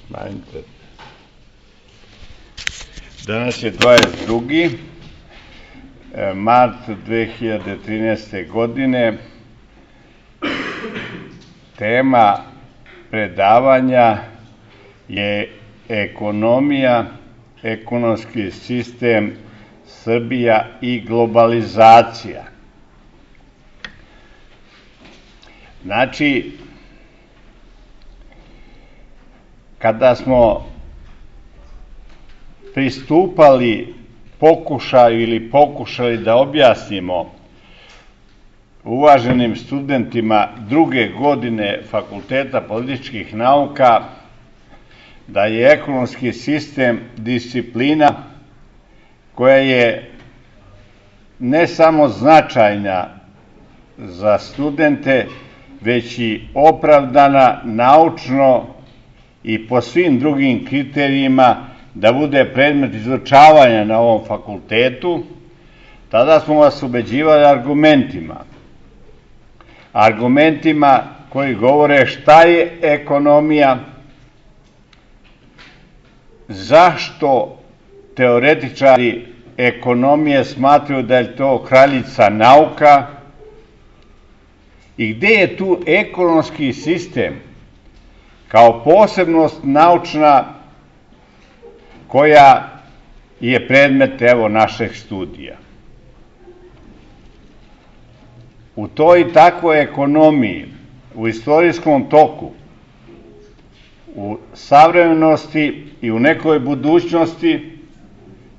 Smanjite. Danas je 22. mart 2013. godine. Tema predavanja je ekonomija, ekonomski sistem, Srbija i globalizacija. Znači, kada smo pristupali pokušaju ili pokušali da objasnimo uvaženim studentima druge godine Fakulteta političkih nauka da je ekonomski sistem disciplina koja je ne samo značajna za studente, već i opravdana naučno i po svim drugim kriterijima da bude predmet izučavanja na ovom fakultetu, tada smo vas ubeđivali argumentima koji govore šta je ekonomija, zašto teoretičari ekonomije smatraju da je to kraljica nauka i gde je tu ekonomski sistem kao posebnost naučna koja je predmet našeg studija. U toj takvoj ekonomiji, u istorijskom toku, u savremenosti i u nekoj budućnosti,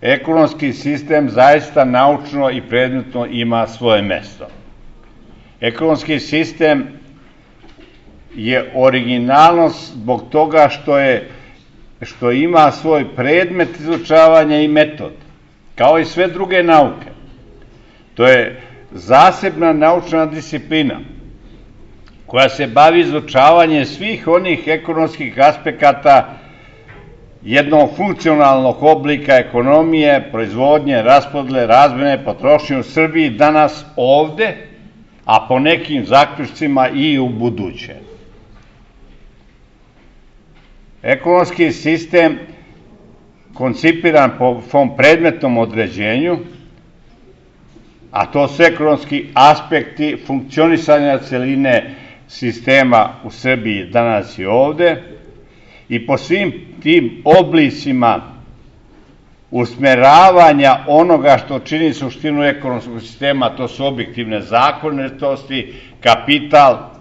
ekonomski sistem zaista naučno i predmetno ima svoje mesto. Ekonomski sistem je originalnost zbog toga što ima svoj predmet izučavanja i metod, kao i sve druge nauke. To je zasebna naučna disciplina koja se bavi izučavanjem svih onih ekonomskih aspekata jednog funkcionalnog oblika ekonomije, proizvodnje, raspodele, razmene, potrošnje u Srbiji danas ovde, a po nekim zaključcima i u buduće. Ekonomski sistem koncipiran po svom predmetnom određenju, a to su ekonomski aspekti funkcionisanja celine sistema u Srbiji danas i ovde, i po svim tim oblicima usmeravanja onoga što čini suštinu ekonomskog sistema, to su objektivne zakonitosti, kapital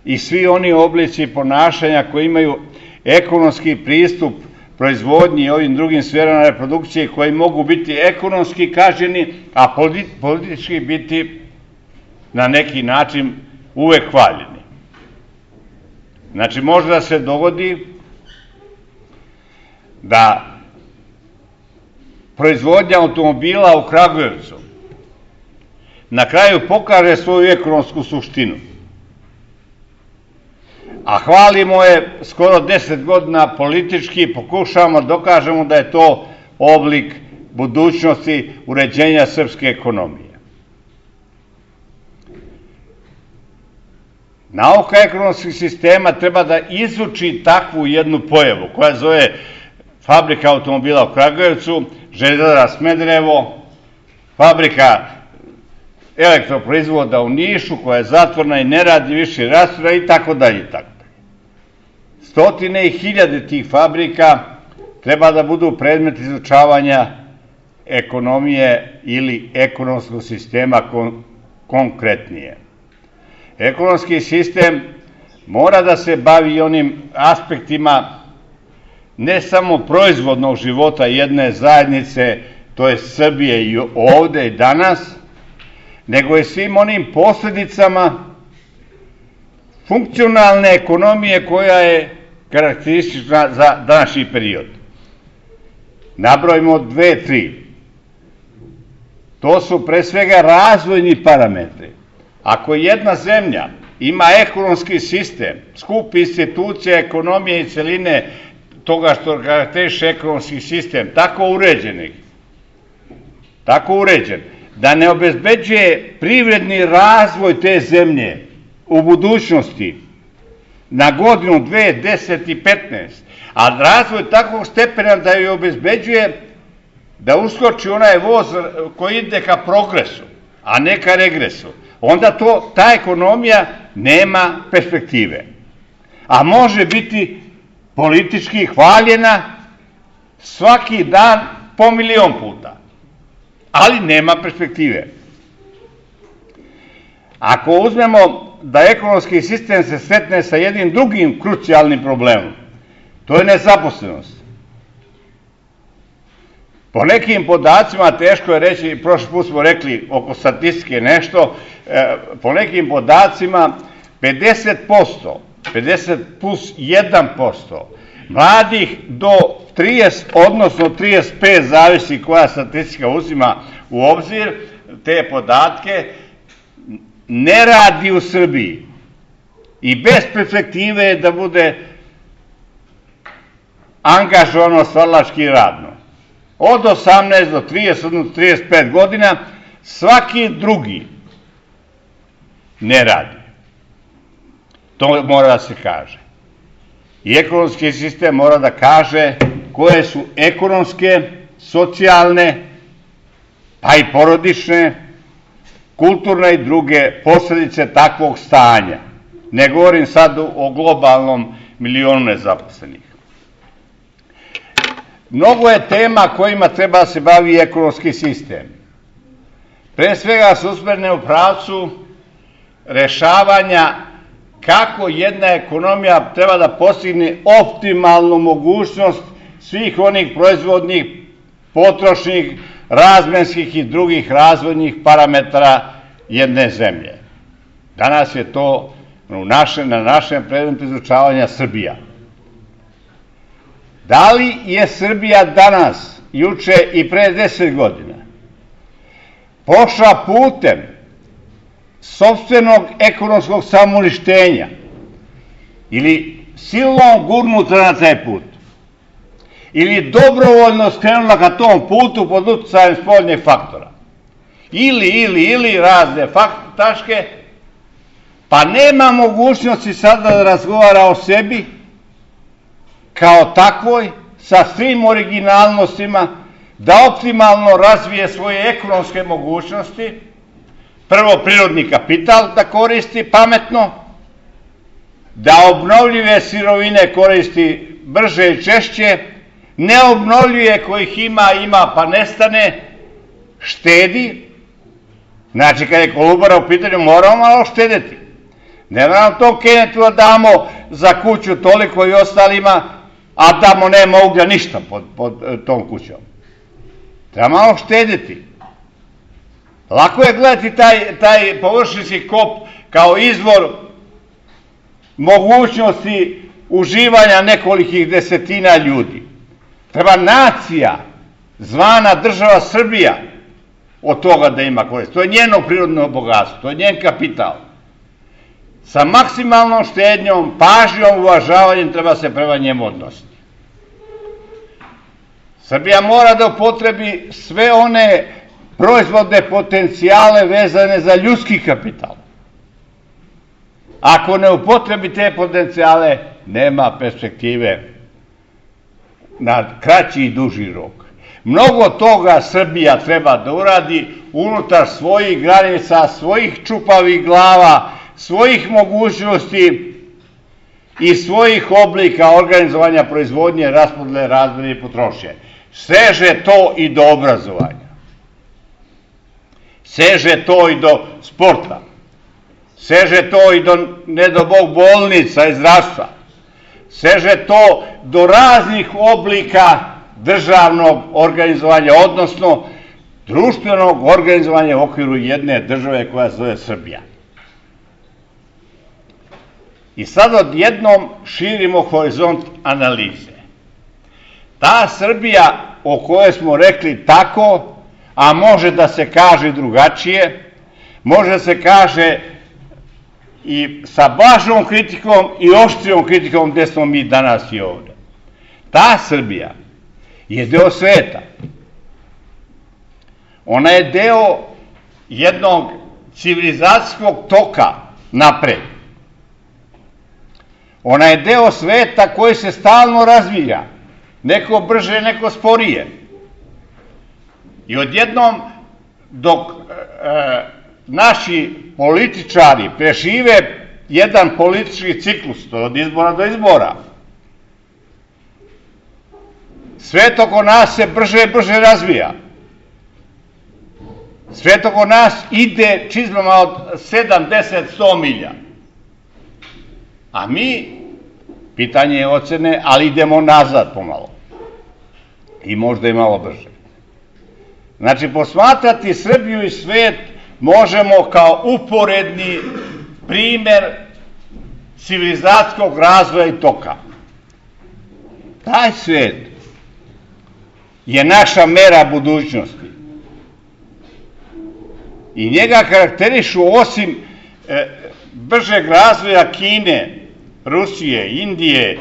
i svi oni oblici ponašanja koji imaju ekonomski pristup proizvodnji i ovim drugim sferama reprodukcije koji mogu biti ekonomski kažnjeni, a politički biti na neki način uvek hvaljeni. Znači, može da se dogodi da proizvodnja automobila u Kragujevcu na kraju pokaže svoju ekonomsku suštinu, a hvalimo je skoro 10 godina politički i pokušavamo da dokažemo da je to oblik budućnosti uređenja srpske ekonomije. Nauka ekonomskih sistema treba da izuči takvu jednu pojavu koja zove fabrika automobila u Kragujevcu, Železara Smederevo, fabrika elektroproizvoda u Nišu koja je zatvorena i ne radi više rastura i tako dalje. Stotine i hiljade tih fabrika treba da budu predmet izučavanja ekonomije ili ekonomskog sistema konkretnije. Ekonomski sistem mora da se bavi onim aspektima ne samo proizvodnog života jedne zajednice, to je Srbije i ovde i danas, nego i svim onim posledicama funkcionalne ekonomije koja je karakteristična za današnji period. Nabrojimo 2-3. To su pre svega razvojni parametri. Ako jedna zemlja ima ekonomski sistem, skup institucija, ekonomije i celine toga što karakteriše ekonomski sistem, tako uređen, da ne obezbeđuje privredni razvoj te zemlje u budućnosti, na godinu, 2, 10 i 15, a razvoj takvog stepena da joj obezbeđuje da uskoči onaj voz koji ide ka progresu, a ne ka regresu, onda ta ekonomija nema perspektive. A može biti politički hvaljena svaki dan po 1.000.000 puta, ali nema perspektive. Ako uzmemo da ekonomski sistem se sretne sa jednim drugim krucijalnim problemom, to je nezaposlenost. Po nekim podacima, teško je reći, prošli put smo rekli oko statistike nešto, po nekim podacima 50% plus 1% mladih do 30, odnosno 35, zavisi koja statistika uzima u obzir te podatke, ne radi u Srbiji i bez perspektive je da bude angažovano stvaralački radno. Od 18 do 30, odnosno 35 godina, svaki drugi ne radi. To mora da se kaže. I ekonomski sistem mora da kaže koje su ekonomske, socijalne, pa i porodične, kulturne i druge posledice takvog stanja. Ne govorim sad o globalnom 1.000.000 nezaposlenih. Mnogo je tema kojima treba da se bavi ekonomski sistem. Pre svega se usmerne u pravcu rešavanja kako jedna ekonomija treba da postigne optimalnu mogućnost svih onih proizvodnih, potrošnih, razmenskih i drugih razvojnih parametara jedne zemlje. Danas je to na našem predmetu izučavanja Srbija. Da li je Srbija danas, juče i pre 10 godina, pošla putem sopstvenog ekonomskog samouništenja ili silom gurnuta na taj put, ili dobrovoljno skrenula ka tom putu pod uticajem spoljnih faktora, ili razne tačke, pa nema mogućnosti sada da razgovara o sebi kao takvoj, sa svim originalnostima, da optimalno razvije svoje ekonomske mogućnosti, prvo prirodni kapital da koristi pametno, da obnovljive sirovine koristi brže i češće, neobnovljive kojih ima pa nestane, štedi. Znači, kada je Kolubara u pitanju, moramo malo štedeti. Ne nam tom Kenetu da damo za kuću toliko i ostalima, a tamo nema uglja ništa pod tom kućom. Treba malo štediti. Lako je gledati taj površinski kop kao izvor mogućnosti uživanja nekolikih desetina ljudi. Treba nacija, zvana država Srbija, od toga da ima korist. To je njeno prirodno bogatstvo, to je njen kapital. Sa maksimalnom štednjom, pažnjom, uvažavanjem treba se prema njemu odnositi. Srbija mora da upotrebi sve one proizvodne potencijale vezane za ljudski kapital. Ako ne upotrebi te potencijale, nema perspektive na kraći i duži rok. Mnogo toga Srbija treba da uradi unutar svojih granica, svojih čupavih glava, svojih mogućnosti i svojih oblika organizovanja proizvodnje, raspodele, razmene i potrošnje. Seže to i do obrazovanja. Seže to i do sporta. Seže to i do, ne do Bog, bolnica i zdravstva. Seže to do raznih oblika državnog organizovanja, odnosno društvenog organizovanja u okviru jedne države koja se zove Srbija. I sad odjednom širimo horizont analize. Ta Srbija o kojoj smo rekli tako, a može da se kaže drugačije, može da se kaže i sa blažom kritikom i oštrijom kritikom gde smo mi danas i ovde. Ta Srbija je deo sveta. Ona je deo jednog civilizacijskog toka napred. Ona je deo sveta koji se stalno razvija. Neko brže, neko sporije. I odjednom, dok naši političari prežive jedan politički ciklus, to od izbora do izbora, svet oko nas se brže i brže razvija. Svet oko nas ide čizmama od 7, 10, 100 milja. A mi, pitanje je ocene, ali idemo nazad pomalo. I možda i malo brže. Znači, posmatrati Srbiju i svet možemo kao uporedni primer civilizacijskog razvoja i toka. Taj svet je naša mera budućnosti. I njega karakterišu osim bržeg razvoja Kine, Rusije, Indije,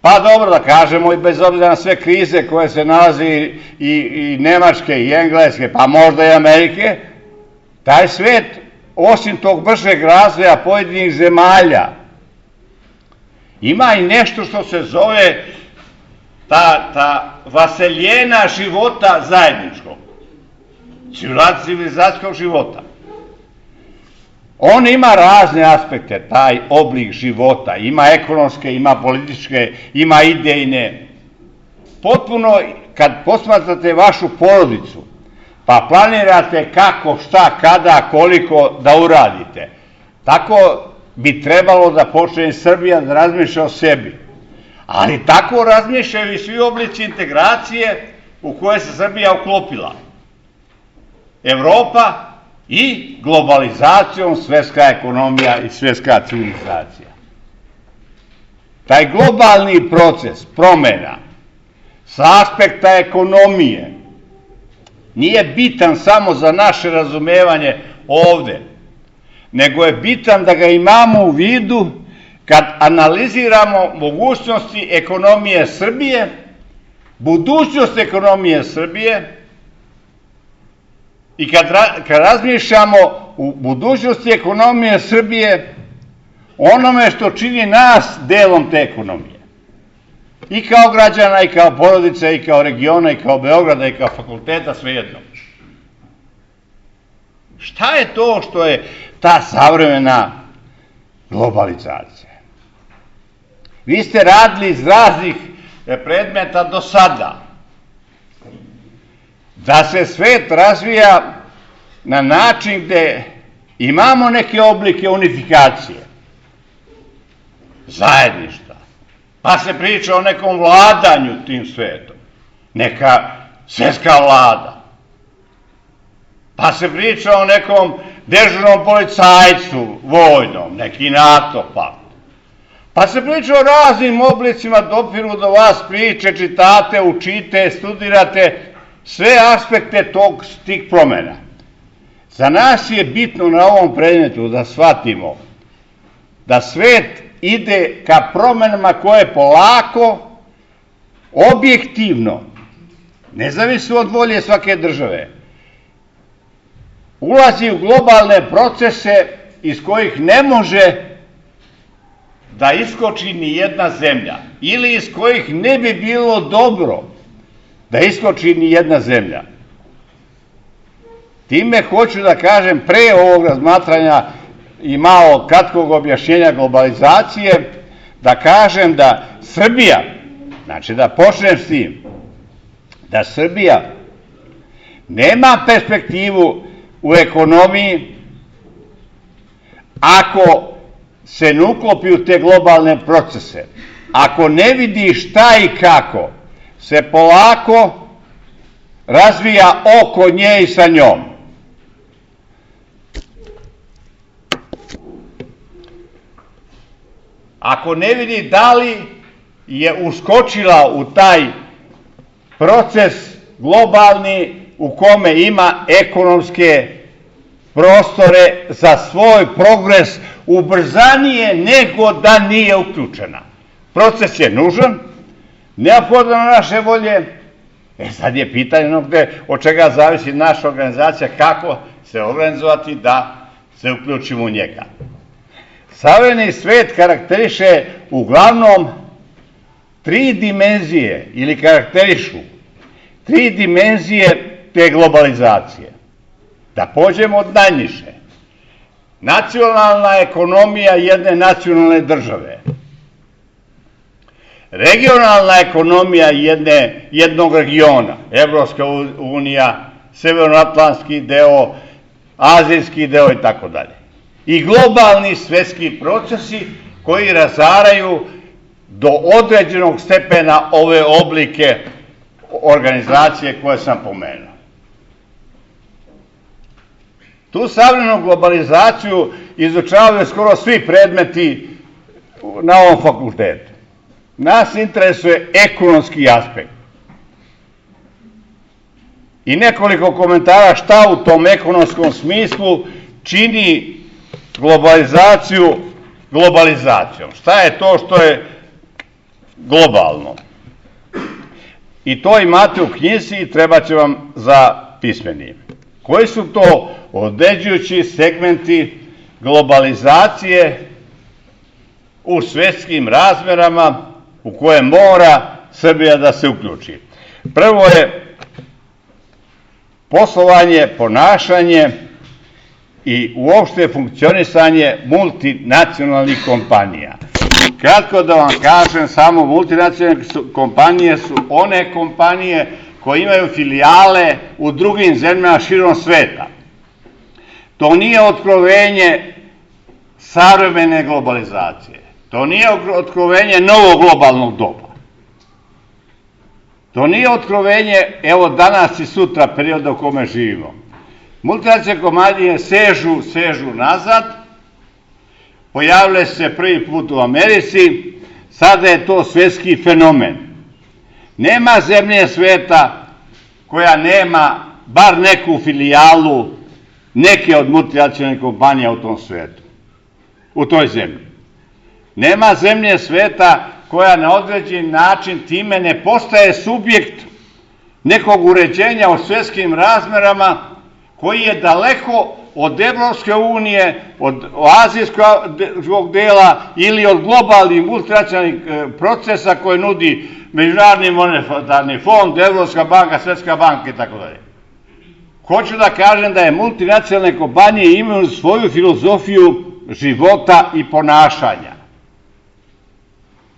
pa dobro da kažemo i bez obzira na sve krize koje se nalaze i Nemačke i Engleske, pa možda i Amerike, taj svet, osim tog bržeg razvoja pojedinih zemalja, ima i nešto što se zove ta vaseljena života zajedničkog, civilizacijskog života. On ima razne aspekte, taj oblik života, ima ekonomske, ima političke, ima idejne. Potpuno, kad posmatrate vašu porodicu, pa planirate kako, šta, kada, koliko da uradite, tako bi trebalo da počne Srbija da razmišlja o sebi. Ali tako razmišljaju i svi oblici integracije u koje se Srbija uklopila. Evropa i globalizacijom svetska ekonomija i svetska civilizacija. Taj globalni proces promena sa aspekta ekonomije nije bitan samo za naše razumevanje ovde, nego je bitan da ga imamo u vidu kad analiziramo mogućnosti ekonomije Srbije, budućnost ekonomije Srbije, i kad razmišljamo u budućnosti ekonomije Srbije, onome što čini nas delom te ekonomije. I kao građana, i kao porodica, i kao regiona, i kao Beograda, i kao fakulteta, svejedno. Šta je to što je ta savremena globalizacija? Vi ste radili iz raznih predmeta do sada. Da se svet razvija na način gde imamo neke oblike unifikacije, zajedništva, pa se priča o nekom vladanju tim svetom, neka svetska vlada, pa se priča o nekom dežurnom policajcu vojnom, neki NATO pakt, pa se priča o raznim oblicima, dopiru do vas priče, čitate, učite, studirate, sve aspekte tih promena. Za nas je bitno na ovom predmetu da shvatimo da svet ide ka promenama koje polako, objektivno, nezavisno od volje svake države, ulazi u globalne procese iz kojih ne može da iskoči ni jedna zemlja ili iz kojih ne bi bilo dobro da iskoči ni jedna zemlja. Time hoću da kažem, pre ovog razmatranja i malo kratkog objašnjenja globalizacije, da kažem da Srbija, znači da počnem s tim, da Srbija nema perspektivu u ekonomiji ako se ne uklopi u te globalne procese, ako ne vidi šta i kako se polako razvija oko nje i sa njom. Ako ne vidi da li je uskočila u taj proces globalni u kome ima ekonomske prostore za svoj progres ubrzanije nego da nije uključena. Proces je nužan, neophodan na naše volje. Sad je pitanje od čega zavisi naša organizacija, kako se organizovati da se uključimo u njega. Savremeni svet karakteriše uglavnom tri dimenzije ili karakterišu tri dimenzije te globalizacije. Da pođemo od najniže. Nacionalna ekonomija jedne nacionalne države. Regionalna ekonomija jednog regiona. Evropska unija, severnoatlantski deo, azijski deo i tako dalje. I globalni svetski procesi koji razaraju do određenog stepena ove oblike organizacije koje sam pomenuo. Tu savremenu globalizaciju izučavaju skoro svi predmeti na ovom fakultetu. Nas interesuje ekonomski aspekt. I nekoliko komentara šta u tom ekonomskom smislu čini globalizaciju globalizacijom. Šta je to što je globalno? I to imate u knjizi i treba će vam za pismeni. Koji su to određujući segmenti globalizacije u svetskim razmerama u koje mora Srbija da se uključi? Prvo je poslovanje, ponašanje i uopšte funkcionisanje multinacionalnih kompanija. Kratko da vam kažem, samo multinacionalne kompanije su one kompanije koje imaju filijale u drugim zemljama širom sveta. To nije otkrovenje savremene globalizacije. To nije otkrovenje novog globalnog doba. To nije otkrovenje, evo danas i sutra, perioda u kome živimo. Multinacionalne kompanije sežu nazad, pojavile se prvi put u Americi, sada je to svetski fenomen. Nema zemlje sveta koja nema bar neku filijalu neke od multinacionalnih kompanija u tom svetu, u toj zemlji. Nema zemlje sveta koja na određen način time ne postaje subjekt nekog uređenja u svetskim razmerama koji je daleko od Evropske unije, od azijskog dela ili od globalnih multinacionalnih procesa koje nudi Međunarodni monetarni fond, Evropska banka, Svetska banka i tako dalje. Hoću da kažem da je multinacionalne kompanije imaju svoju filozofiju života i ponašanja.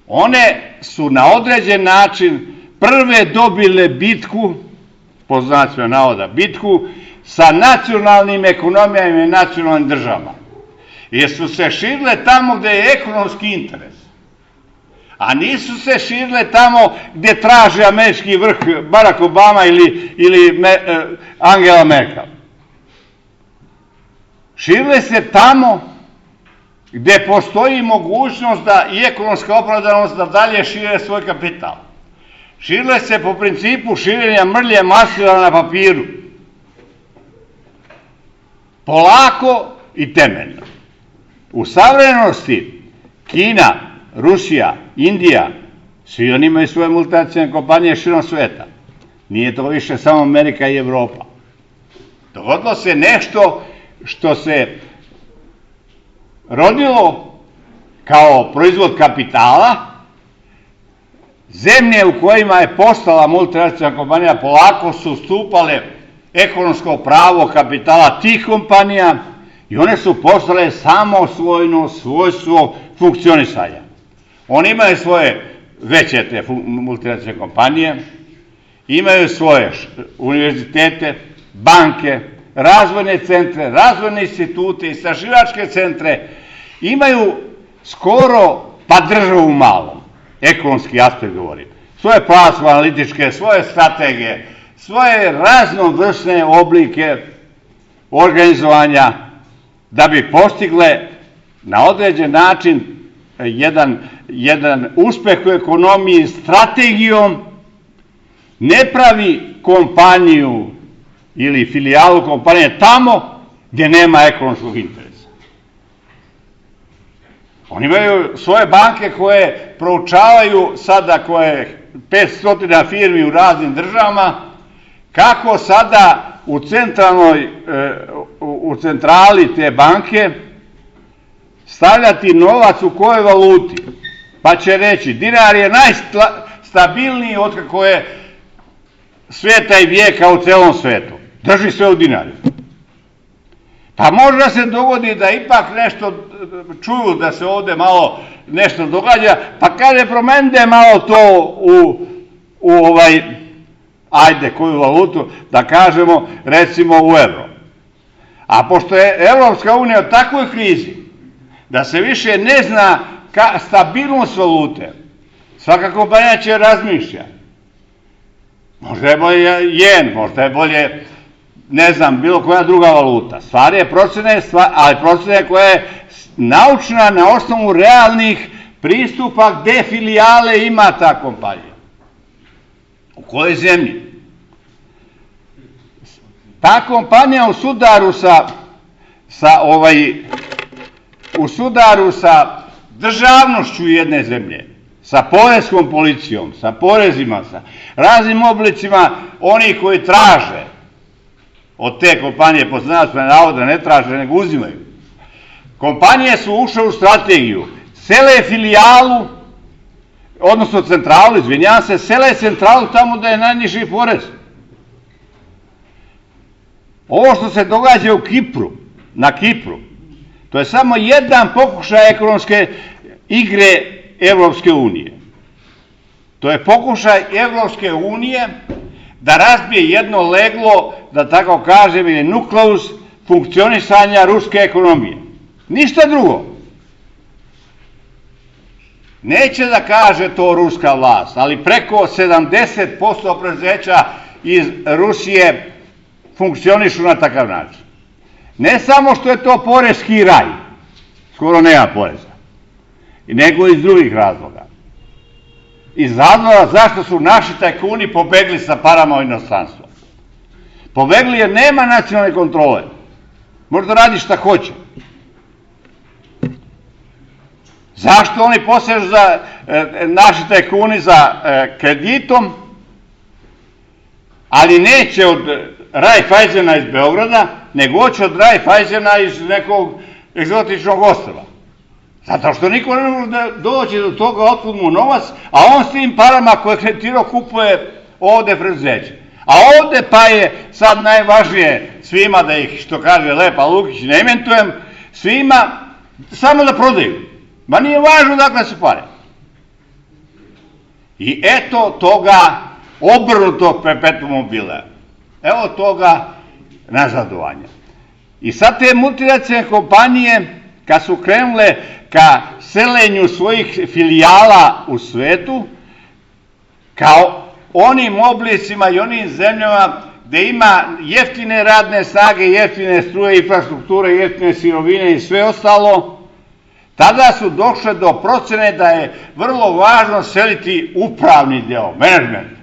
One su na određen način prve dobile bitku, po znacima navoda bitku, sa nacionalnim ekonomijama i nacionalnim državama. Jer su se širile tamo gde je ekonomski interes. A nisu se širile tamo gde traže američki vrh Barack Obama ili Angela Merkel. Širile se tamo gde postoji mogućnost da i ekonomska opravdanost da dalje šire svoj kapital. Širile se po principu širenja mrlje maslina na papiru. Polako i temeljno. U savremenosti Kina, Rusija, Indija, svi oni imaju svoje multinacionalne kompanije širom sveta. Nije to više samo Amerika i Evropa. Dogodilo se nešto što se rodilo kao proizvod kapitala. Zemlje u kojima je postala multinacionalna kompanija polako su stupale ekonomsko pravo kapitala tih kompanija i one su postale samosvojno svojstvo funkcionisanja. Oni imaju svoje veće te multinacionalne kompanije, imaju svoje univerzitete, banke, razvojne centre, razvojne institute, istraživačke centre, imaju skoro pa državu malom, ekonomski aspekt govorim, svoje platforme analitičke, svoje strategije, svoje raznovrsne oblike organizovanja da bi postigle na određen način jedan uspeh u ekonomiji strategijom. Ne pravi kompaniju ili filijalu kompanije tamo gdje nema ekonomskog interesa. Oni imaju svoje banke koje proučavaju sada, koje 500 firmi u raznim državama, kako sada u centrali te banke stavljati novac u kojoj valuti, pa će reći dinar je najstabilniji od kako je svijeta i vijeka u celom svetu. Drži sve u dinari. Pa možda se dogodi da ipak nešto čuju da se ovdje malo nešto događa, pa kaže promenite malo to ajde koju valutu, da kažemo recimo u euro. A pošto je Evropska unija u takvoj krizi da se više ne zna stabilnost valute, svaka kompanija će razmišlja. Možda je bolje jen, možda je bolje, ne znam, bilo koja druga valuta. Stvar je procene, ali procene koja je naučna na osnovu realnih pristupa gde filijale ima ta kompanija. U kojoj zemlji? Ta kompanija u sudaru sa državnošću jedne zemlje, sa poreskom policijom, sa porezima, sa raznim oblicima onih koji traže od te kompanije, po znacima navoda ne traže, nego uzimaju. Kompanije su ušle u strategiju, sele filijalu, odnosno centralu, izvinjavam se, sele centralu tamo da je najniži porez. Ovo što se događa u Kipru, na Kipru, to je samo jedan pokušaj ekonomske igre Evropske unije. To je pokušaj Evropske unije da razbije jedno leglo, da tako kažem, ili nukleus funkcionisanja ruske ekonomije. Ništa drugo. Neće da kaže to ruska vlast, ali preko 70% preduzeća iz Rusije funkcionišu na takav način. Ne samo što je to poreski raj, skoro nema poreza, nego iz drugih razloga. Iz razloga zašto su naši tajkuni pobegli sa parama u inostranstvo. Pobegli jer nema nacionalne kontrole. Možda radi šta hoće. Zašto oni posežu za naši tajkuni za kreditom, ali neće od Raiffeisena iz Beograda, nego hoće od Raiffeisena iz nekog egzotičnog ostrva. Zato što niko ne može da dođe do toga otkud mu novac, a on s tim parama koje je kreditirao kupuje ovde preduzeće. A ovde pa je sad najvažnije svima da ih, što kaže Lepa Lukić, ne imentujem, svima samo da prodaju. Ma nije važno dakle su pare. I eto toga obrnutog perpetuum mobile. Evo toga nazadovanja. I sad te multinacionalne kompanije, kad su krenule ka selenju svojih filijala u svetu, kao onim oblicima i onim zemljama gde ima jeftine radne snage, jeftine struje, infrastrukture, jeftine sirovine i sve ostalo, tada su došle do procene da je vrlo važno seliti upravni deo, menadžment.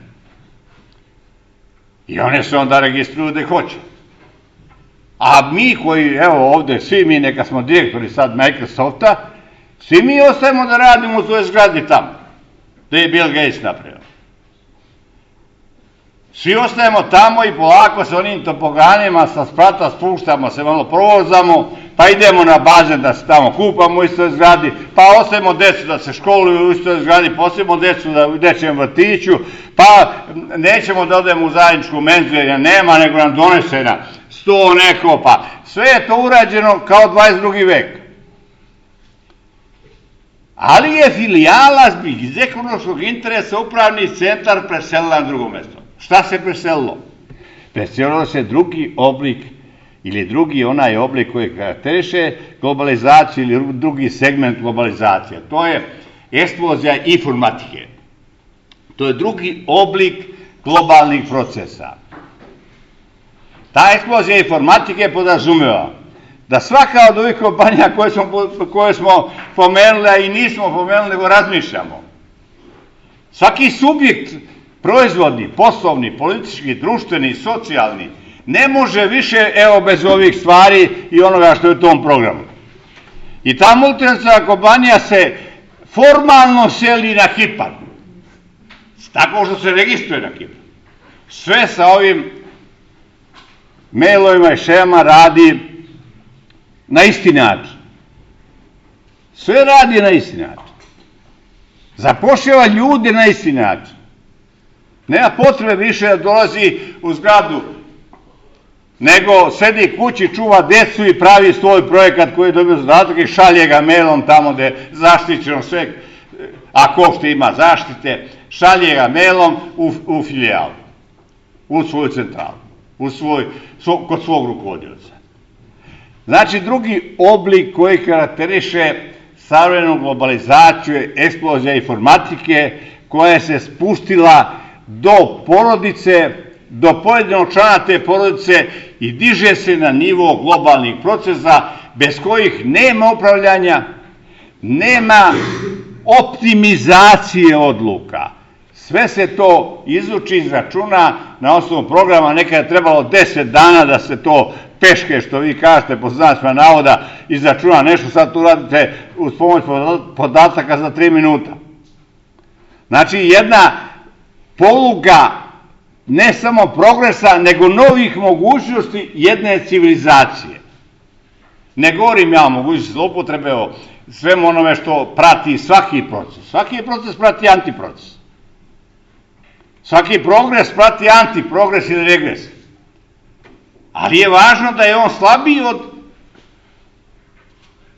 I one se onda registruju gde hoće. A mi koji, evo ovde, svi mi, neka smo direktori sad Microsofta, svi mi ostajemo da radimo u toj zgradi tamo, gde je Bill Gates napravio. Svi ostajemo tamo i polako sa onim topoganima sa sprata spuštamo se, malo provozamo, pa idemo na bazen da se tamo kupamo u istoj zgradi, pa ostavimo decu da se školuju u istoj zgradi, pa ostavimo decu da u dečjem vrtiću, pa nećemo da odemo u zajedničku menzu jer nema, nego nam donese na sto neko, pa sve je to urađeno kao 22. vek. Ali je filijala iz ekonomskog interesa upravni centar preselila na drugo mesto. Šta se preselilo? Preselilo se drugi oblik ili drugi onaj oblik koji karakteriše globalizaciju ili drugi segment globalizacije. To je eksplozija informatike. To je drugi oblik globalnih procesa. Ta eksplozija informatike podrazumeva da svaka od ovih kompanija koje smo pomenuli, a i nismo pomenuli, nego razmišljamo. Svaki subjekt proizvodni, poslovni, politički, društveni, socijalni, ne može više, evo, bez ovih stvari i onoga što je u tom programu. I ta multinacionalna kompanija se formalno seli na Kipar. Tako što se registruje na Kipar. Sve sa ovim mailovima i šema radi na isti način. Sve radi na isti način. Zapošljava ljude na isti način. Nema potrebe više da dolazi u zgradu, nego sedi kući, čuva decu i pravi svoj projekat koji je dobio zadatak i šalje ga mailom tamo gde je zaštićeno sve, ako što ima zaštite, šalje ga mailom u filijalu, u svoju centralu, kod svog rukovodioca. Znači, drugi oblik koji karakteriše savremenu globalizaciju je eksplozija informatike koja se spustila do porodice, do pojedinog člana te porodice i diže se na nivo globalnih procesa bez kojih nema upravljanja, nema optimizacije odluka. Sve se to izuči, izračuna na osnovu programa, nekada je trebalo 10 dana da se to peške, što vi kažete, po znacima navoda, izračuna nešto, sad tu radite uz pomoć podataka za 3 minuta. Znači, jedna poluga ne samo progresa, nego novih mogućnosti jedne civilizacije. Ne govorim ja o mogućnosti zloupotrebe, o svemu onome što prati svaki proces. Svaki proces prati antiproces. Svaki progres prati antiprogres ili regres. Ali je važno da je on slabiji od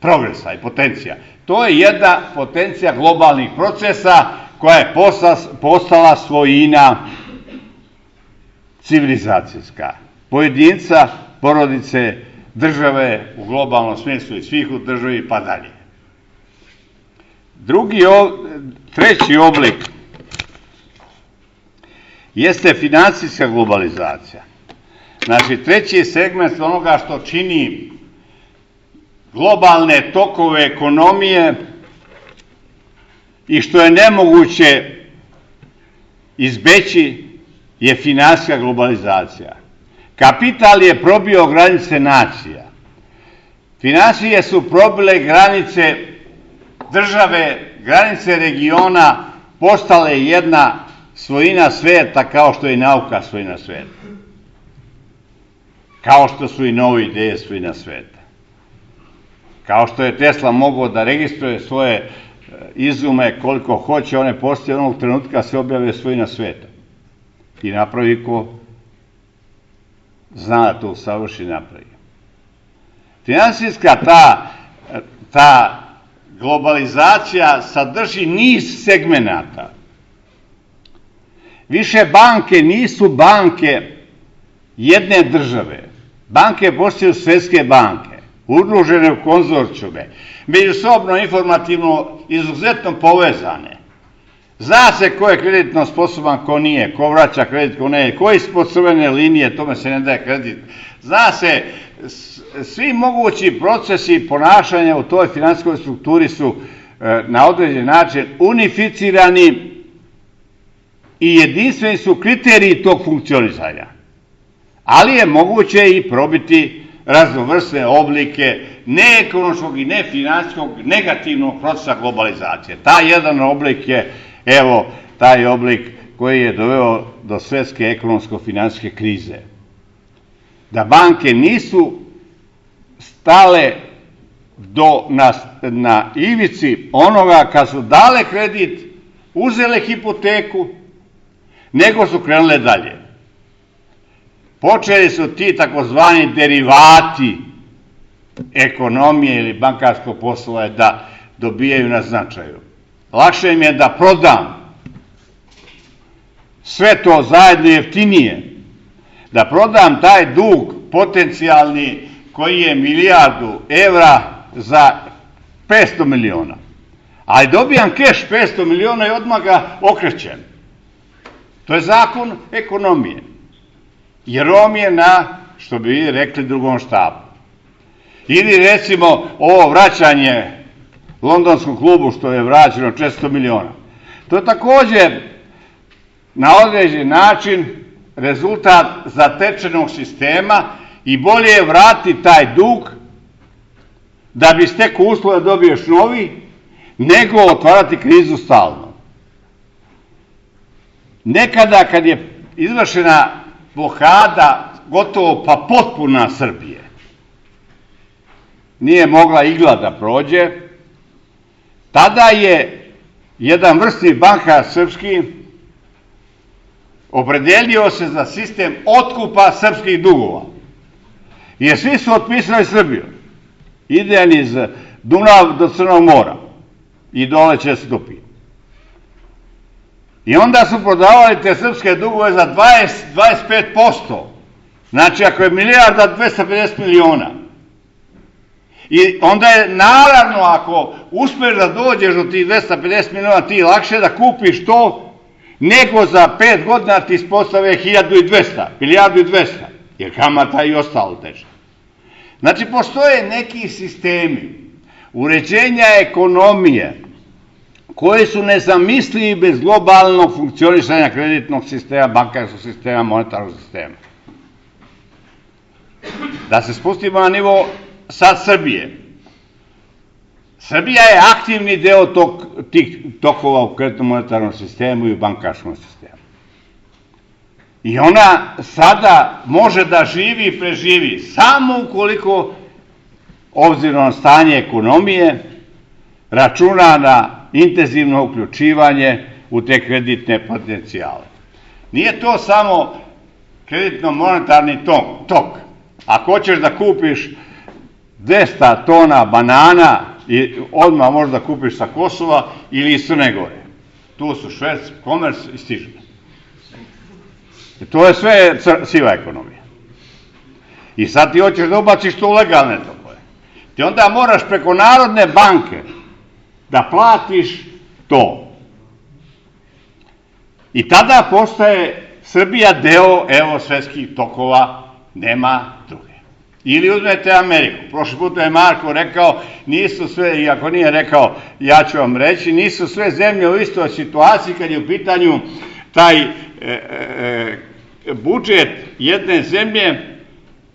progresa i potencija. To je jedna potencija globalnih procesa koja je postala svojina civilizacijska. Pojedinca, porodice, države u globalnom smislu i svih u državi pa dalje. Treći oblik jeste finansijska globalizacija. Znači, treći segment onoga što čini globalne tokove ekonomije i što je nemoguće izbeći je finansijska globalizacija. Kapital je probio granice nacija. Finansije su probile granice države, granice regiona, postale jedna svojina sveta kao što je nauka svojina sveta. Kao što su i nove ideje svojina sveta. Kao što je Tesla mogao da registruje svoje izume koliko hoće, one postoje onog trenutka se objave svojina sveta. I napravi ko zna da to savrši napravi. Finansijska ta globalizacija sadrži niz segmenata. Više banke nisu banke jedne države. Banke postaju svetske banke, udružene u konzorcijume, međusobno informativno izuzetno povezane. Zna se ko je kreditno sposoban, ko nije, ko vraća kredit, ko ne, ko je ispod crvene linije, tome se ne daje kredit. Zna se, svi mogući procesi ponašanja u toj finansijskoj strukturi su na određen način unificirani i jedinstveni su kriteriji tog funkcionisanja. Ali je moguće i probiti raznovrsne oblike neekonomskog i nefinansijskog negativnog procesa globalizacije. Taj jedan oblik je, evo, taj oblik koji je doveo do svetske ekonomsko-finansijske krize. Da banke nisu stale na ivici onoga kad su dale kredit, uzele hipoteku, nego su krenule dalje. Počeli su ti takozvani derivati ekonomije ili bankarskog posla da dobijaju na značaju. Lakše im je da prodam sve to zajedno jeftinije, da prodam taj dug potencijalni koji je 1.000.000.000 evra za 500 miliona. Ali dobijam keš 500 miliona i odmah ga okrećem. To je zakon ekonomije. Jer on je na, što bi vi rekli, drugom štapu. Ili recimo ovo vraćanje londonskom klubu što je vraćeno 400 miliona. To je također na određen način rezultat zatečenog sistema i bolje je vratiti taj dug da bi stekao uslove da dobiješ novi, nego otvarati krizu stalno. Nekada kad je izvršena blokada gotovo pa potpuna Srbije, nije mogla igla da prođe, tada je jedan vrsni bankar srpski opredelio se za sistem otkupa srpskih dugova. Jer svi su otpisali Srbiju. Idejan iz Dunav do Crnog mora i dole će se topi. I onda su prodavali te srpske dugove za 25%. Znači, ako je milijarda, 250 miliona. I onda je, naravno, ako uspeš da dođeš do tih 250 miliona, ti lakše da kupiš to, nego za 5 godina ti ispostave 1200, milijardu i 200, jer kamata i ostalo teže. Znači, postoje neki sistemi uređenja ekonomije koji su nezamislivi bez globalnog funkcionisanja kreditnog sistema, bankarskog sistema, monetarnog sistema. Da se spustimo na nivo sad Srbije. Srbija je aktivni deo tih tokova u kreditnom monetarnom sistemu i u bankarskom sistemu. I ona sada može da živi i preživi samo ukoliko, obzirom na stanje ekonomije, računa na intenzivno uključivanje u te kreditne potencijale. Nije to samo kreditno-monetarni tok. Ako hoćeš da kupiš 200 tona banana i odmah možeš da kupiš sa Kosova ili iz Crne Gore. Tu su šverc, komers i stiže. To je sve siva ekonomija. I sad ti hoćeš da ubaciš to u legalne tokove. Ti onda moraš preko Narodne banke da platiš to. I tada postaje Srbija deo svetskih tokova, nema druge. Ili uzmete Ameriku. Prošli put je Marko rekao, nisu sve, i ako nije rekao, ja ću vam reći, nisu sve zemlje u istoj situaciji kad je u pitanju taj budžet jedne zemlje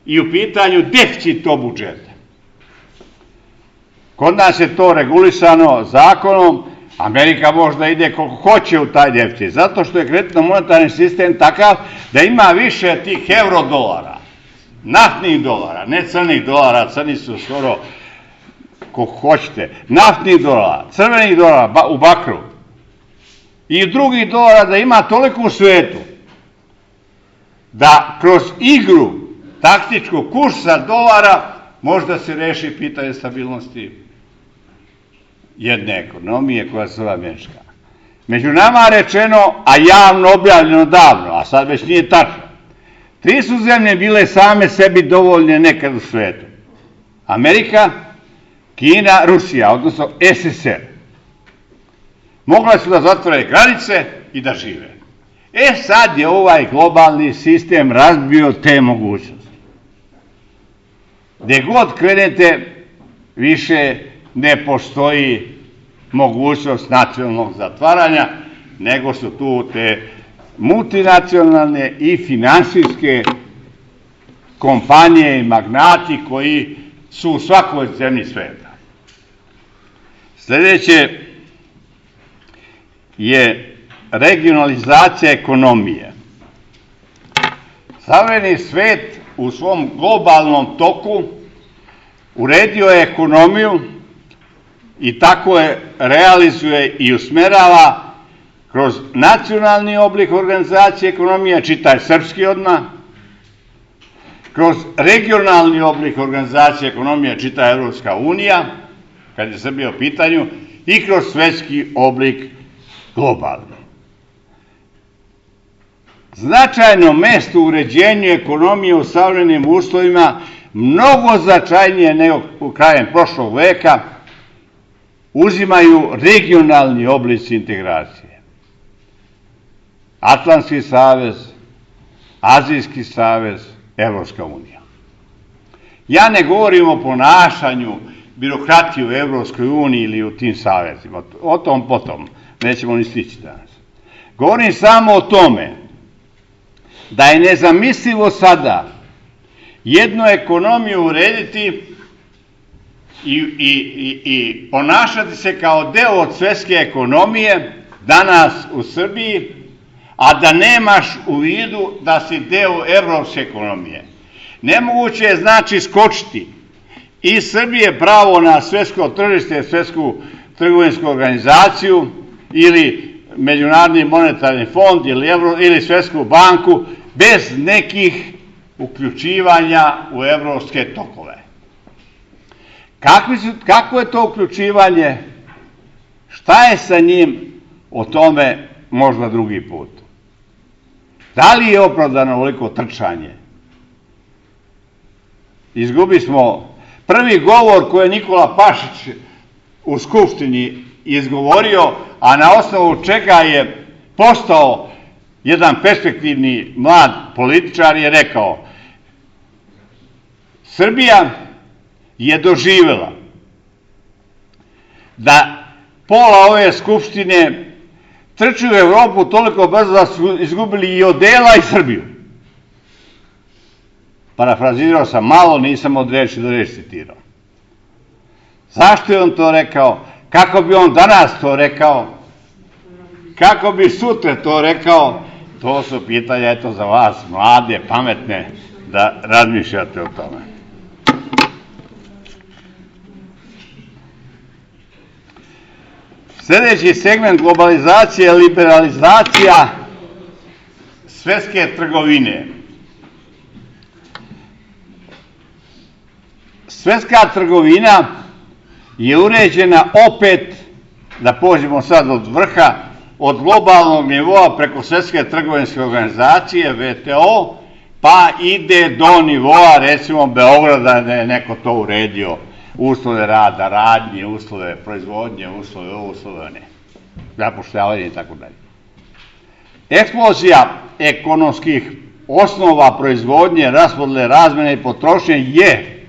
i u pitanju deficit tog budžeta. Kod nas je to regulisano zakonom, Amerika možda ide koliko hoće u taj deficit, zato što je kreditno-monetarni sistem takav da ima više tih euro-dolara, naftnih dolara, ne crnih dolara, crni su skoro koliko hoćete, naftnih dolara, crvenih dolara u bakru i drugih dolara, da ima toliko u svetu da kroz igru taktičkog kursa dolara možda se reši pitanje stabilnosti jedne ekonomije koja se zove američka. Među nama rečeno, a javno objavljeno davno, a sad već nije tačno, 3 su zemlje bile same sebi dovoljne nekad u svetu. Amerika, Kina, Rusija, odnosno SSR. Mogle su da zatvore granice i da žive. Sad je ovaj globalni sistem razbio te mogućnosti. Gde god krenete, više ne postoji mogućnost nacionalnog zatvaranja, nego su tu te multinacionalne i finansijske kompanije i magnati koji su u svakoj zemlji sveta. Sljedeće je regionalizacija ekonomije. Savremeni svet u svom globalnom toku uredio je ekonomiju i tako je realizuje i usmerava kroz nacionalni oblik organizacije ekonomije, čitaj srpski odmah, kroz regionalni oblik organizacije ekonomije, čitaj Evropska unija, kad je Srbija u pitanju, i kroz svetski oblik globalni. Značajno mesto u uređenju ekonomije u savremenim uslovima, mnogo značajnije nego u krajem prošlog veka, uzimaju regionalni oblici integracije. Atlantski savez, Azijski savez, Evropska unija. Ja ne govorim o ponašanju birokratije u Evropskoj uniji ili u tim savezima, o tom potom, nećemo ni stići danas. Govorim samo o tome da je nezamislivo sada jednu ekonomiju urediti i ponašati se kao deo od svjetske ekonomije danas u Srbiji, a da nemaš u vidu da si deo evropske ekonomije. Nemoguće je znači skočiti iz Srbije pravo na svjetsko tržište, svjetsku trgovinsku organizaciju ili Međunarodni monetarni fond ili Svetsku banku bez nekih uključivanja u evropske tokove. Kako je to uključivanje? Šta je sa njim? O tome možda drugi put. Da li je opravdano ovoliko trčanje? Izgubi smo prvi govor koji je Nikola Pašić u Skupštini izgovorio, a na osnovu čega je postao jedan perspektivni mlad političar, je rekao: Srbija je doživela da pola ove Skupštine trči u Evropu toliko brzo da su izgubili i odela i Srbiju. Parafrazirao sam malo, nisam od reči do reči citirao. Zašto je on to rekao? Kako bi on danas to rekao? Kako bi sutra to rekao? To su pitanja, eto, za vas, mlade, pametne, da razmišljate o tome. Sljedeći segment globalizacije je liberalizacija svetske trgovine. Svetska trgovina je uređena opet, da pođemo sad od vrha, od globalnog nivoa preko Svetske trgovinske organizacije, VTO, pa ide do nivoa, recimo, Beograda, da je neko to uredio, uslove rada, radnje, uslove proizvodnje, uslove ne, zapošljavanje i tako dalje. Eksplozija ekonomskih osnova proizvodnje, raspodele, razmene i potrošnje je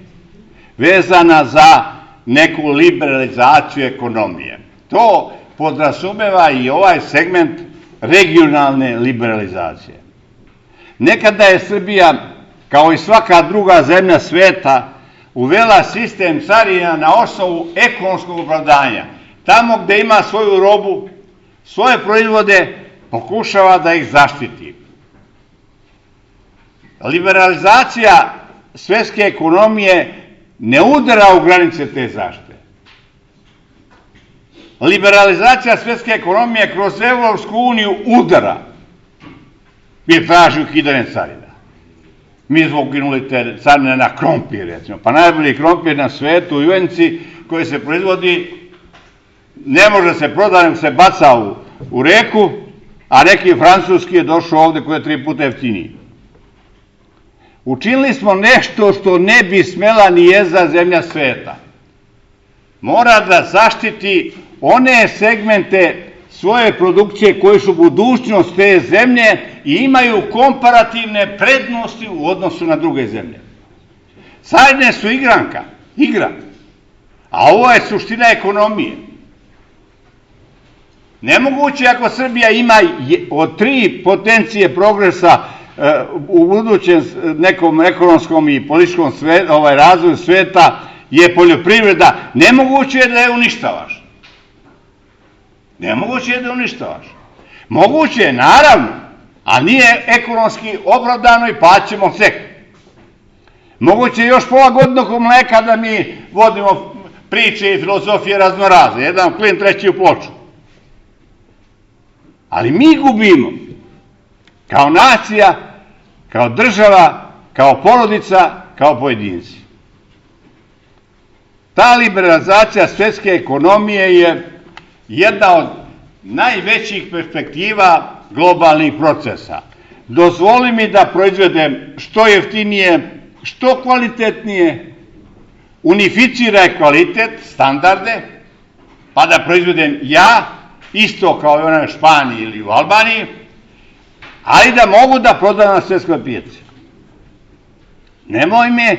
vezana za neku liberalizaciju ekonomije. To podrazumeva i ovaj segment regionalne liberalizacije. Nekada je Srbija, kao i svaka druga zemlja sveta, uvela sistem carina na osnovu ekonomskog opravdanja. Tamo gde ima svoju robu, svoje proizvode, pokušava da ih zaštiti. Liberalizacija svetske ekonomije ne udara u granice te zaštite. Liberalizacija svetske ekonomije kroz Evropsku uniju udara, jer traži ukidanje carina. Mi smo ukinuli te carine na krompir, recimo. Pa najbolji krompir na svetu u Ivanjici koji se proizvodi ne može se prodati, nego se baca u reku, a neki francuski je došao ovde koji je 3 puta jeftiniji. Učinili smo nešto što ne bi smela ni jedna zemlja sveta. Mora da zaštiti one segmente svoje produkcije koji su budućnost te zemlje i imaju komparativne prednosti u odnosu na druge zemlje. Carine su igra, a ovo je suština ekonomije. Nemoguće ako Srbija ima od 3 potencije progresa u budućem nekom ekonomskom i političkom razvoju sveta je poljoprivreda, nemoguće je da je uništavaš. Nemoguće je da uništavaš. Moguće je, naravno, a nije ekonomski opravdano i plaćamo ceh. Moguće je još pola godine oko mleka da mi vodimo priče i filozofije raznorazne. Jedan klin, treći u ploču. Ali mi gubimo. Kao nacija, kao država, kao porodica, kao pojedinci. Ta liberalizacija svetske ekonomije je jedna od najvećih perspektiva globalnih procesa. Dozvoli mi da proizvedem što jeftinije, što kvalitetnije, unificiraj kvalitet, standarde, pa da proizvedem ja, isto kao i onaj u Španiji ili u Albaniji, ali da mogu da prodam na svetskoj pijaci. Nemoj me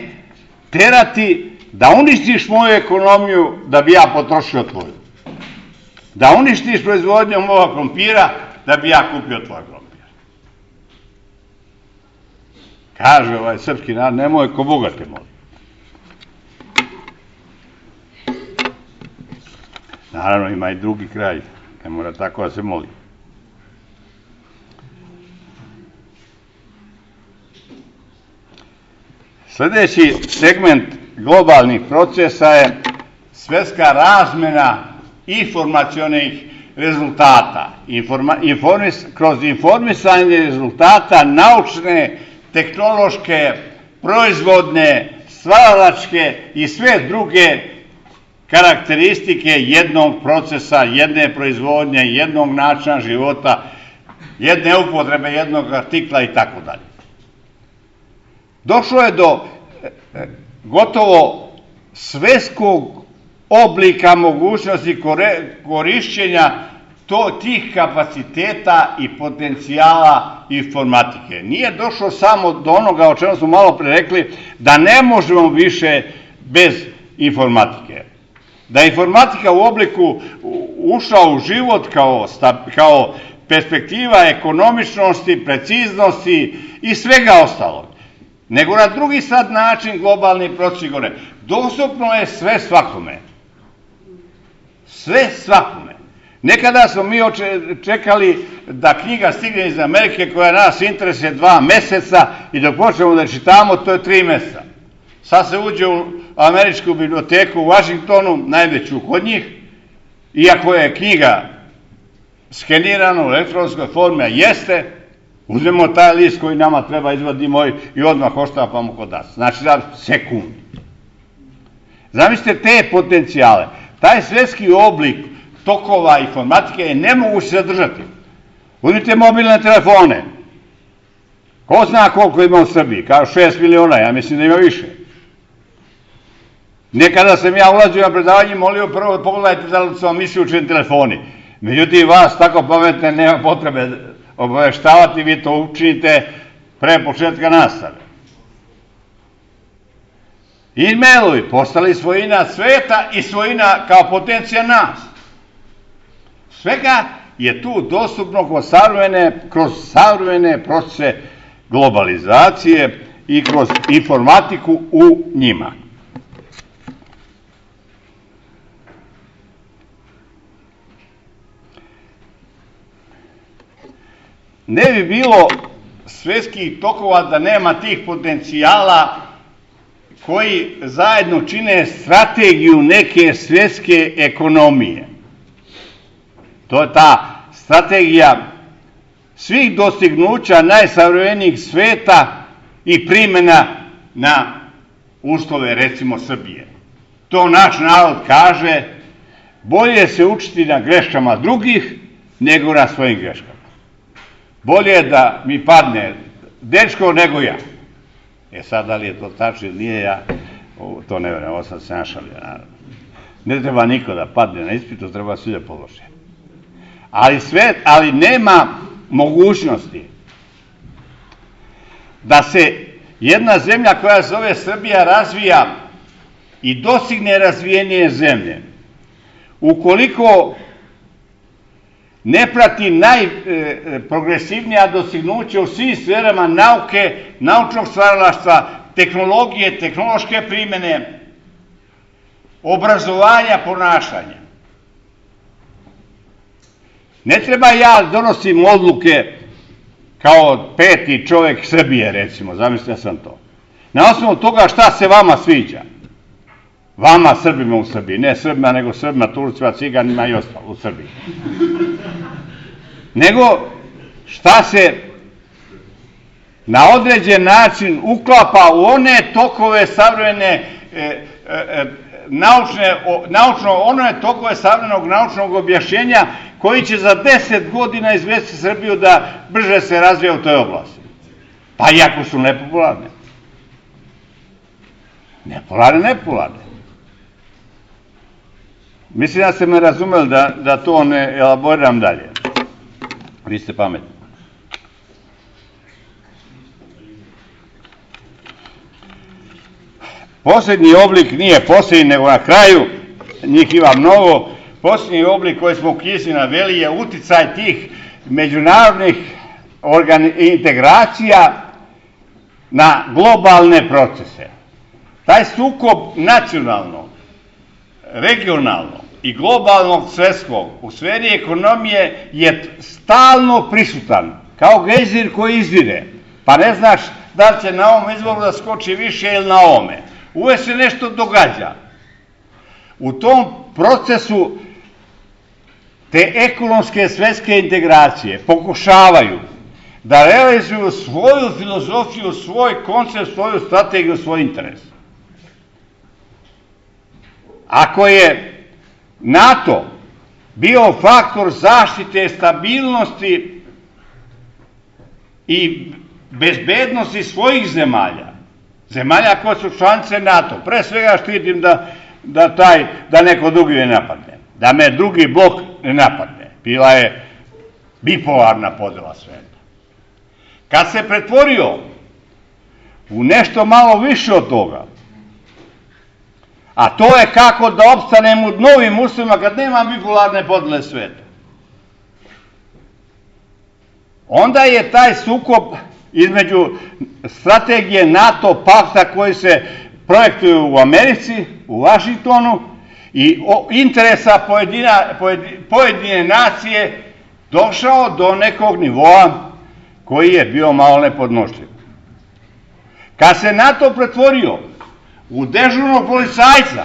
terati da uništiš moju ekonomiju da bi ja potrošio tvoju. Da uništiš proizvodnju moga krompira da bi ja kupio tvoj krompir. Kaže ovaj srpski narod, nemoj ko Boga te moli. Naravno ima i drugi kraj, ne mora tako da se moli. Sljedeći segment globalnih procesa je svetska razmena informacionih rezultata, kroz informisanje rezultata naučne, tehnološke, proizvodne, stvaralačke i sve druge karakteristike jednog procesa, jedne proizvodnje, jednog načina života, jedne upotrebe, jednog artikla i tako dalje. Došlo je do gotovo svetskog oblika mogućnosti korišćenja tih kapaciteta i potencijala informatike. Nije došlo samo do onoga o čemu smo malo pre rekli, da ne možemo više bez informatike. Da je informatika u obliku ušla u život kao perspektiva ekonomičnosti, preciznosti i svega ostalog. Nego na drugi sad način globalni proces gore. Dostupno je sve svakome. Sve svakome. Nekada smo mi čekali da knjiga stigne iz Amerike koja nas interesuje 2 meseca i dok počnemo da čitamo, to je 3 meseca. Sad se uđe u američku biblioteku u Vašingtonu, najveću kod njih, iako je knjiga skenirana u elektronskoj formi, a jeste, uzmemo taj list koji nama treba, izvadimo i odmah oštapamo kod nas. Znači za sekundu. Zamislite te potencijale. Taj svetski oblik tokova informatike je nemoguće zadržati. Uzmite mobilne telefone. Ko zna koliko ima u Srbiji? Kao 6 miliona, ja mislim da ima više. Nekada sam ja ulazio na predavanje i molio prvo da pogledajte da li su vam isključeni telefoni. Međutim, vas tako pametne nema potrebe obaveštavati, vi to učinite pre početka nastave. E-mailovi postali svojina sveta i svojina kao potencija nas. Svega je tu dostupno kroz savremene procese globalizacije i kroz informatiku u njima. Ne bi bilo svetskih tokova da nema tih potencijala koji zajedno čine strategiju neke svetske ekonomije. To je ta strategija svih dostignuća najsavremenijih sveta i primjena na uslove, recimo, Srbije. To naš narod kaže, bolje se učiti na greškama drugih nego na svojim greškama. Bolje je da mi padne dečko nego ja. Sad, da li je to tačno ili nije, ja to ne vjerujem, ovo sam se našalio, naravno. Ne treba niko da padne na ispitu, treba svi da polože. Ali nema mogućnosti da se jedna zemlja koja se zove Srbija razvija i dostigne razvijenije zemlje. Ukoliko ne prati najprogresivnija dostignuća u svim sferama nauke, naučnog stvaralaštva, tehnologije, tehnološke primjene, obrazovanja, ponašanja. Ne treba ja donosim odluke kao 5. čovjek Srbije, recimo, zamislite sam to. Na osnovu toga šta se vama sviđa. Vama, Srbima u Srbiji, ne Srbima, nego Srbima, Turcima, Ciganima i ostalo u Srbiji. Nego šta se na određen način uklapa u one tokove savremene one tokove savremenog naučnog objašnjenja koji će za 10 godina izvesti Srbiju da brže se razvija u toj oblasti. Pa iako su nepopularne. Nepopularne. Mislim da ste me razumeli da to ne elaboriram dalje. Vi ste pametni. Posljednji oblik nije posljednji, nego na kraju, njih ima mnogo. Posljednji oblik koji smo u knjizi naveli je uticaj tih međunarodnih integracija na globalne procese. Taj sukob nacionalnog, regionalnog i globalnog svetskog u sferi ekonomije je stalno prisutan, kao gejzir koji izvire, pa ne znaš da li će na ovom izvoru da skoči više ili na ovome. Uvek se nešto događa. U tom procesu te ekonomske svetske integracije pokušavaju da realizuju svoju filozofiju, svoj koncept, svoju strategiju, svoj interes. Ako je NATO bio faktor zaštite stabilnosti i bezbednosti svojih zemalja koje su članice NATO, pre svega štitim da neko drugi ne napadne, da me drugi blok ne napadne. Bila je bipolarna podela sveta. Kad se pretvorio u nešto malo više od toga, a to je kako da opstanem u novim uslovima kad nema bipolarne podele sveta, onda je taj sukob između strategije NATO pakta koji se projektuje u Americi, u Vašingtonu, i interesa pojedine nacije došao do nekog nivoa koji je bio malo nepodnošljiv. Kad se NATO pretvorio u dežurnog policajca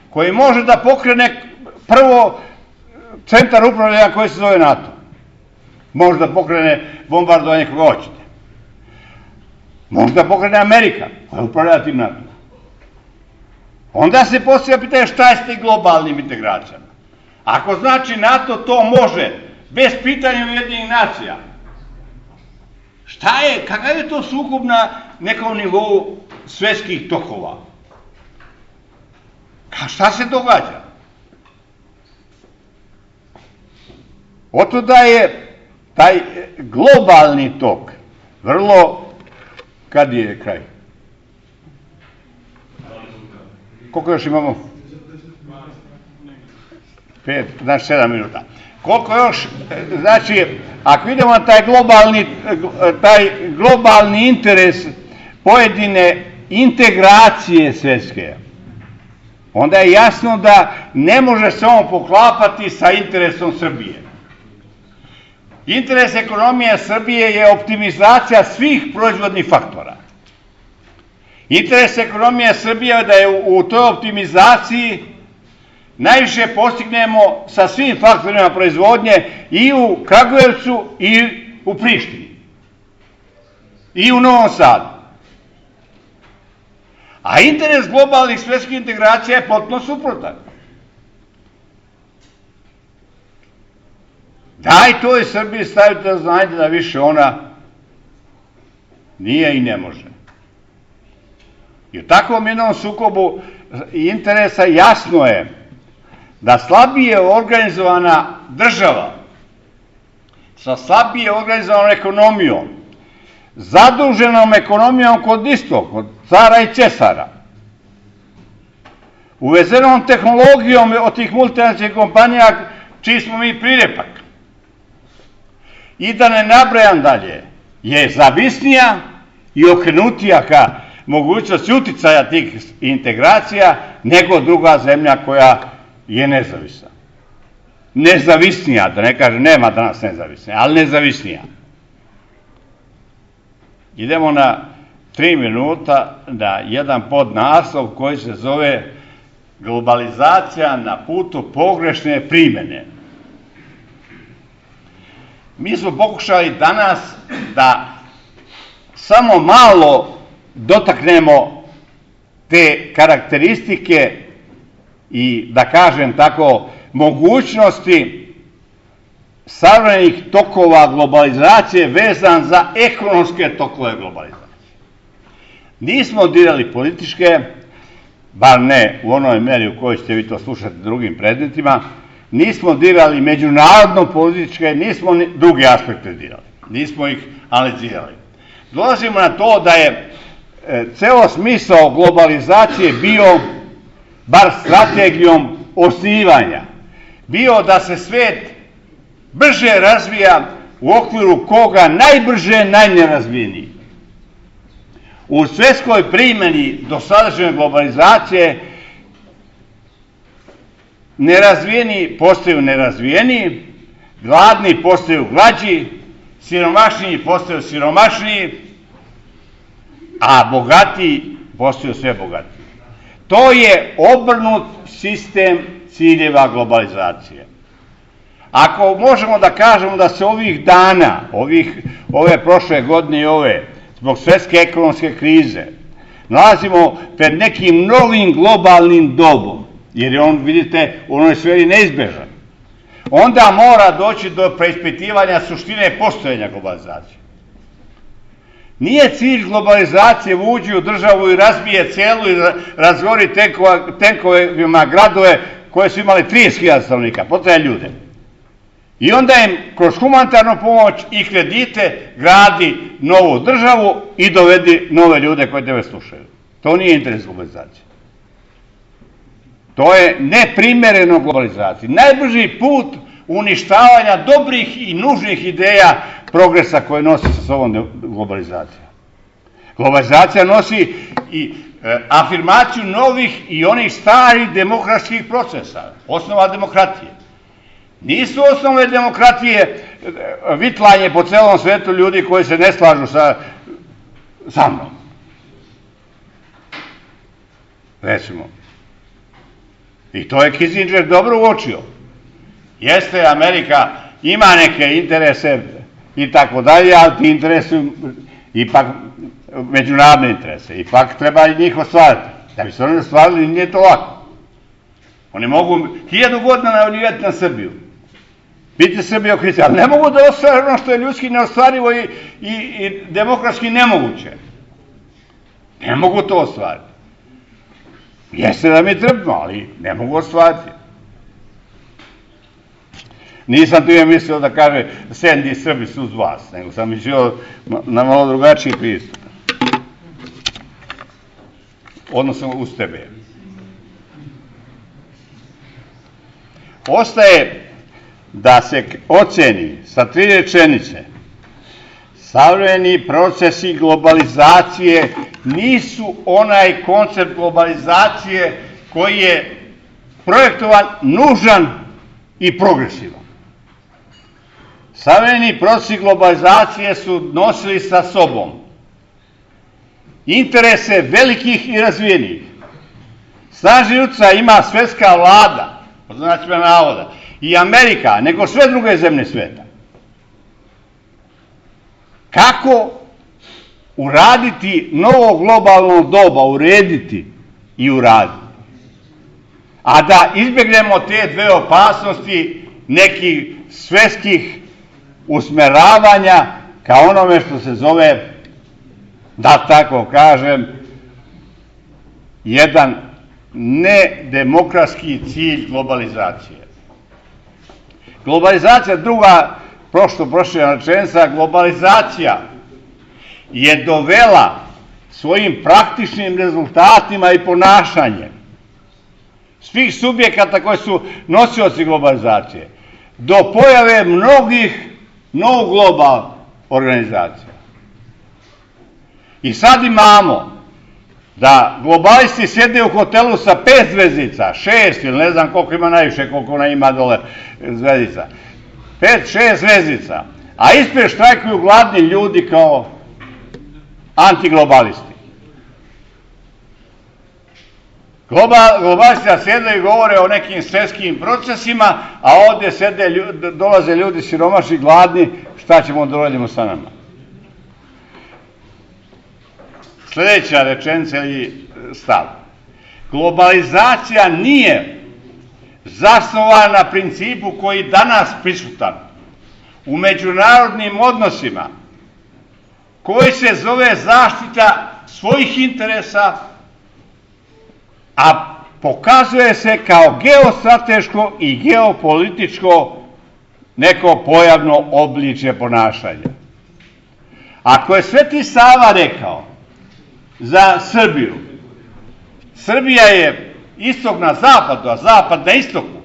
koji može da pokrene prvo centar upravljanja koji se zove NATO, može da pokrene bombardovanje koga hoćete, može da pokrene Amerika koja upravlja tim NATO. Onda se postavlja pitanje šta je s tim globalnim integracijama. Ako znači NATO to može bez pitanja Ujedinjenih nacija, kakav je to sukob na nekom nivou svetskih tokova? Šta se događa? Otuda je taj globalni tok vrlo... Kad je kraj? Koliko još imamo? 5, znači 7 minuta. Koliko još, znači, ako idemo na taj globalni interes pojedine integracije svetske, onda je jasno da ne može se on poklapati sa interesom Srbije. Interes ekonomije Srbije je optimizacija svih proizvodnih faktora. Interes ekonomije Srbije je da je u toj optimizaciji najviše postignemo sa svim faktorima proizvodnje i u Kragujevcu i u Prištini i u Novom Sadu. A interes globalnih svetskih integracija je potpuno suprotan. Daj to i Srbiji stavite da znajte da više ona nije i ne može. I u takvom jednom sukobu interesa jasno je da slabije organizovana država sa slabije organizovanom ekonomijom, zaduženom ekonomijom kod istog, kod cara i cesara, uvezenom tehnologijom od tih multinacionalnih kompanija čiji smo mi prirepak, i da ne nabrajam dalje, je zavisnija i okrenutija ka mogućnosti uticaja tih integracija nego druga zemlja koja je nezavisna. Nezavisnija, da ne kažem, nema danas nezavisnija, ali nezavisnija. Idemo na 3 minuta na jedan podnaslov koji se zove Globalizacija na putu pogrešne primene. Mi smo pokušali danas da samo malo dotaknemo te karakteristike i, da kažem tako, mogućnosti savremenih tokova globalizacije vezan za ekonomske tokove globalizacije. Nismo dirali političke, bar ne u onoj meri u kojoj ćete vi to slušati drugim predmetima, nismo dirali međunarodno političke, nismo druge aspekte dirali, nismo ih analizirali. Dolazimo na to da je ceo smisao globalizacije bio, bar strategijom osnivanja, bio da se svet brže razvija u okviru koga najbrže najnerazvijeniji. U svetskoj primjeni dosadašnje globalizacije nerazvijeni postaju nerazvijeniji, gladni postaju glađi, siromašniji postaju siromašniji, a bogatiji postaju sve bogatiji. To je obrnut sistem ciljeva globalizacije. Ako možemo da kažemo da se ovih dana, ove prošle godine i ove, zbog svetske ekonomske krize, nalazimo pred nekim novim globalnim dobom, jer je on, vidite, u onoj sferi neizbežan, onda mora doći do preispitivanja suštine postojanja globalizacije. Nije cilj globalizacije uđi u državu i razbije celu i razgori tenkovima gradove koje su imali 30.000 stanovnika, potraje ljude. I onda im kroz humanitarnu pomoć i kredite gradi novu državu i dovedi nove ljude koji tebe slušaju. To nije interes globalizacije. To je neprimereno globalizaciji. Najbrži put uništavanja dobrih i nužnih ideja progresa koje nosi sa sobom globalizacija. Globalizacija nosi i afirmaciju novih i onih starih demokratskih procesa, osnova demokratije. Nisu osnove demokratije vitlanje po celom svetu ljudi koji se ne slažu sa mnom. Recimo. I to je Kissinger dobro uočio. Jeste, Amerika ima neke interese i tako dalje, ali ti interesi ipak međunarodne interese. Ipak treba i njih ostvariti. Da bi se oni ostvarili, nije to lako. Oni mogu 1000 godina navodnjivati na Srbiju. Biti Srbijokristi, ali ne mogu da ostvare ono što je ljudski neostvarivo i demokratski nemoguće. Ne mogu to ostvariti. Jeste da mi trpimo, ali ne mogu ostvariti. Nisam tu mislio da kaže Sendi Srbi su uz vas, nego sam mislio na malo drugačiji pristup. Odnosno uz tebe. Ostaje da se oceni sa 3 rečenice: savremeni procesi globalizacije nisu onaj koncept globalizacije koji je projektovan, nužan i progresivan. Savremeni procesi globalizacije su nosili sa sobom interese velikih i razvijenih. Snažni uticaj ima svetska vlada, pod znacima navoda, i Amerika, nego sve druge zemlje sveta. Kako uraditi novo globalno doba, urediti i uraditi, a da izbjegnemo te dve opasnosti nekih svetskih usmeravanja ka onome što se zove, da tako kažem, jedan nedemokratski cilj globalizacije. Globalizacija, druga prošla rečenica, globalizacija je dovela svojim praktičnim rezultatima i ponašanjem svih subjekata koji su nosioci globalizacije do pojave mnogih no-global organizacija. I sad imamo da globalisti sjede u hotelu sa 5 zvezdica, 6 ili ne znam koliko ima najviše, koliko ona ima dole zvezdica, 5-6 zvezdica, a ispred štrajkuju gladni ljudi kao antiglobalisti. Globalisti sjede i govore o nekim svetskim procesima, a ovdje dolaze ljudi siromašni, gladni, šta ćemo da uradimo sa nama? Sljedeća rečenica ili stav. Globalizacija nije zasnovana na principu koji danas prisutan u međunarodnim odnosima, koji se zove zaštita svojih interesa, a pokazuje se kao geostrateško i geopolitičko neko pojavno obličje ponašanja. Ako je Sveti Sava rekao za Srbiju, Srbija je istok na zapadu, a zapad na istoku,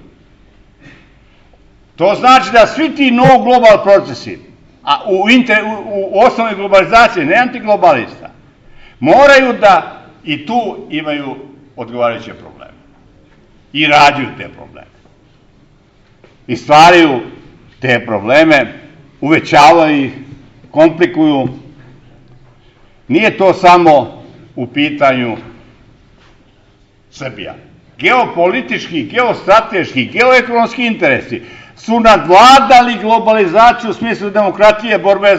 to znači da svi ti no-global procesi, a u osnovi globalizacije, ne antiglobalista, moraju da i tu imaju odgovarajuće probleme. I rađuju te probleme. I stvaraju te probleme, uvećavaju ih, komplikuju. Nije to samo u pitanju Srbija. geopolitički, geostrateški, geoekonomski interesi su nadvladali globalizaciju u smislu demokratije, borbe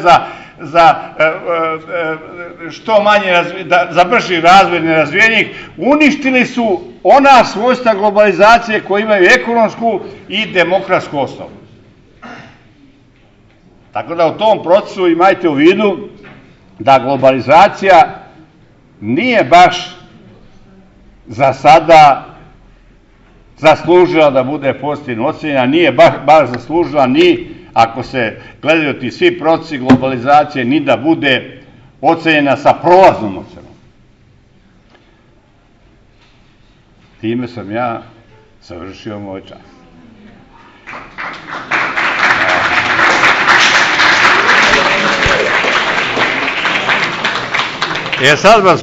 za što manje, za brži razvoj nerazvijenih, uništili su ona svojstva globalizacije koje imaju ekonomsku i demokratsku osnovu. Tako da u tom procesu imajte u vidu da globalizacija nije baš za sada zaslužila da bude pozitivno ocenjena, nije baš zaslužila ni, ako se gledaju ti svi procesi globalizacije, ni da bude ocenjena sa prolaznom ocenom. Time sam ja završio moj čas. Sad vas